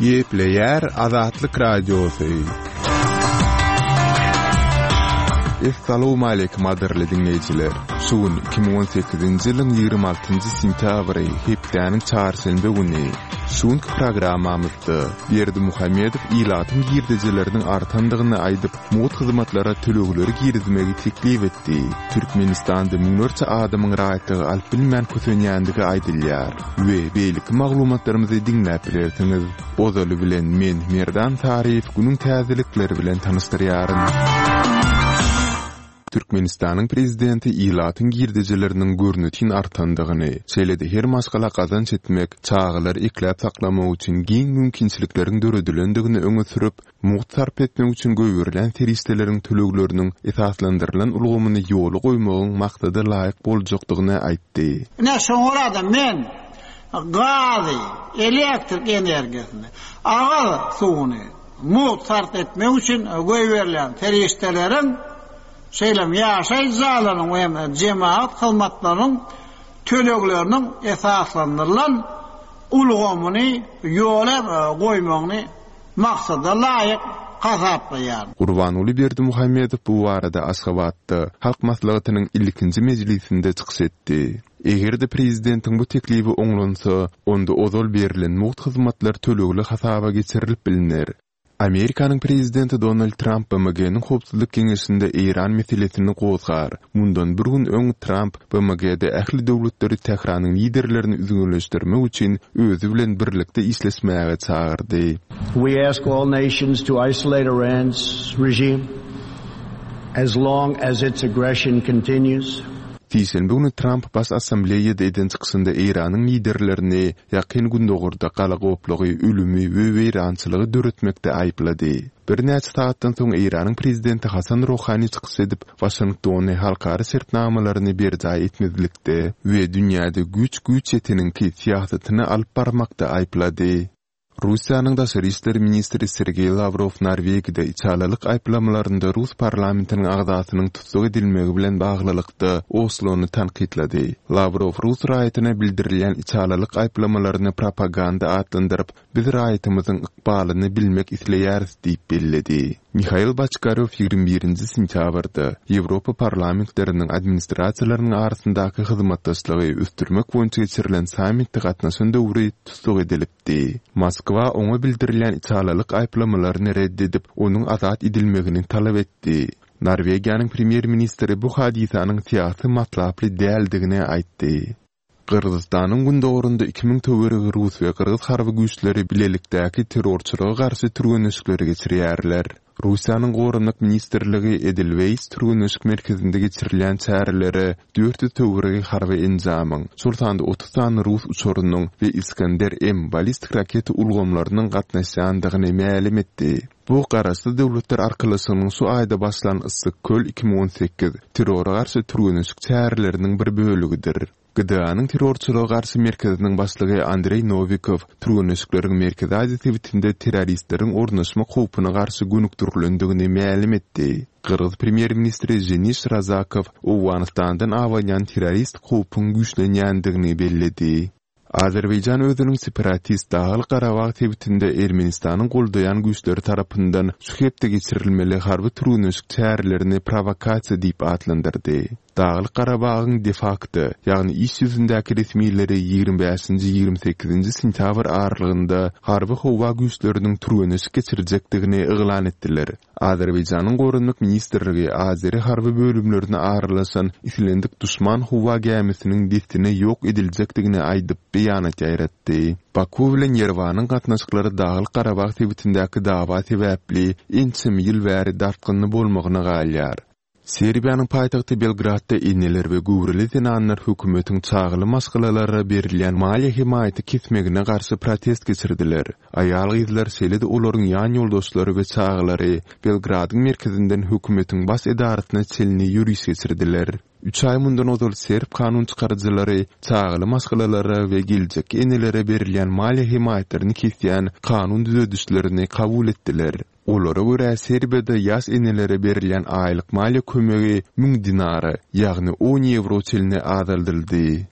Gepleýär Azatlyk Radiosy. Essalawmaleýkim gadyrly diňleýjiler! Şu gün 2018-nji ýylyň 26-njy sentýabry, hepdäniň çarşenbe güni. Şu günki programmamyzda Berdimuhamedow ilatyň girdejileriniň artandygyny aýdyp, mugt hyzmatlara tölegleri girizmegi teklip etdi. Türkmenistanda müňlerçe adamyň raýatlygy alyp bilmän kösenýändigi aýdylýar we beýleki maglumatlarymyzy diňläp bilersiňiz. Ozaly bilen men, Merdan Saryýew günüň täzelikleri bilen tanyşdyrýaryn. Türkmenistanyň prezidenti ilatyň girdejileriniň görnetin artandygyny, şeýle-de her maşgala gazanç etmek, çagalary ekläp-saklamak üçin giň mümkinçilikleriň döredilendigini öňe sürüp, mugt sarp etmek üçin goýberilýän serişdeleriň tölegleriniň esaslandyrylan ulgamyny ýola goýmagyň maksada laýyk boljakdygyny aýtdy. Ine, şoňa görä-de men gazy, elektrik energiýasyny, agyz suwuny mugt sarp etmek üçin goýberilýän serişdeleriň, şeýle hem ýaşaýyş jaýlarynyň we hem jemagat hyzmatlarynyň tölegleriniň esaslandyrylan ulgamyny ýola goýmagyny maksada laýyk hasaplaýar. Gurbanguly Berdimuhamedow bu barada Aşgabatda, Halk Maslahatynyň ilkinji mejlisinde çykyş etdi. Eger-de prezidentiň bu teklibi oňlansa, onda ozal berlen mugt hyzmatlar tölegli hasaba geçirilip bilner. Amerikanyň prezidenti Donald Tramp BMG-niň Howpsuzlyk Geňeşinde Eýran meselesini gozgar. Mundan bir gün öň Tramp BMG-de ähli döwletleri Tähranyň liderlerini üzňeleşdirmek üçin özi bilen birlikde işleşmäge çagyrdy. We ask all nations to isolate Iran's regime as long as its aggression continues. Sişenbe güni Tramp Baş Assambleýada eden çykyşynda Eýranyň liderlerini Ýakyn Gündogarda galagoplygy, ölümi we weýrançylygy döretmekde aýyplady. Birnäçe sagatdan soň Eýranyň prezidenti Hasan Rohani çykyş edip, Waşingtony halkara şertnamalaryny berjaý etmezlikde we dünýäde güýç güýç ýeteniňki syýasatyny alyp barmakda aýyplady. Russiýanyň daşary işler ministri Sergeý Lawrow Norwegiýada içalylyk aýyplamalarynda rus parlamentiniň agzasynyň tussag edilmegi bilen baglylykda Oslony tankytlady. Lawrow rus raýatyna bildirilýän içalylyk aýyplamalaryny propaganda atlandyryp, Biz raýatymyzyň ykbalyny bilmek isleýäris diýip belledi. Mihail Boçkarýow 21 nji sentýabrda Ýewropa parlamentleriniň administrasiýalarynyň arasyndaky hyzmatdaşlygy ösdürmek boýunça geçirilen sammitde gatnaşan döwri tussag edilipdi. Moskwa oňa bildirilýän içalylyk aýyplamalaryny red edip, onuň azat edilmegini talap etdi. Norwegiýanyň premýer-ministri bu hadysanyň syýasy matlaply däldigini aýtdy. Gyrgyzystanyň gündogarynda 2000 töweregi rus we gyrgyz harby güýçleri bilelikdäki terrorçylyga garşy türgenleşikleri geçirýärler. Russiýanyň Goranmak ministrligi Edelweýs türgenleşik merkezinde geçirilýän çärelere 400 töweregi harby enjamyň, şol sanda 30 sany rus uçarynyň we Iskander-M ballistik raketa ulgamlarynyň gatnaşýandygyny mälim etdi. Bu Garaşsyz Döwletler Arkalaşygynyň şu aýda başlan Yssyk-Köl 2018 terrora garşy türgenleşik çäreleriniň bir bölegidir. GDA-nyň Terrorçylyga garşy merkeziniň başlygy Andreý Nowikow türgenleşikleriň Merkezi Aziýa sebitinde terroristleriň ornaşmak howpuna garşy gönükdirilendigini mälim etdi. Gyrgyz premýer-ministri Ženiş Razakow Owganystandan abanýan terroristik howpuň güýçlenýändigini belledi. Azerbaýjan özüniň separatist Daglyk-Garabag sebitinde Ermenistanyň goldaýan güýçleri tarapyndan şu hepde geçirilmeli harby türgenleşik çärelerini prowokasiýa diýip atlandyrdy. Daglyk-Garabagyň de-fakto, ýagny iş ýüzündäki resmileri 25-nji, 28-nji sentýabr aralygynda harby-howa güýçleriniň türgenleşik geçirjekdigini yglan etdiler. Azerbaýjanyň Goranmak ministrligi azeri harby bölümlerine aralaşan islendik duşman howa gämisiniň dessine ýok ediljekdigini aýdyp, beýanat ýaýratdy. Baku bilen Ýerewanyň gatnaşyklary Daglyk-Garabag sebitindäki dawa sebäpli ençeme ýyl bäri dartgynly bolmagyna galýar. Serbiýanyň paýtagty Belgradda eneler we göwreli zenanlar hökümetiň çagaly maşgalalara berilýän maliýe hemaýaty kesmegine garşy protest geçirdiler. Aýal-gyzlar, şeýle-de olaryň ýan ýoldaşlary we çagalary Belgradyň merkezinden hökümetiň baş edarasyna çenli ýöriş geçirdiler. Üç aý mundan ozal serb kanun çykaryjylary çagaly maşgalalara we geljekki enelere berilýän maliýe hemaýatlaryny kesýän kanun düzedişlerini kabul etdiler. Olara görä, Serbiýada ýaş enelere berilýän aýlyk maliýe kömegi müň dinara, ýagny on ýewro çenli azaldyldy.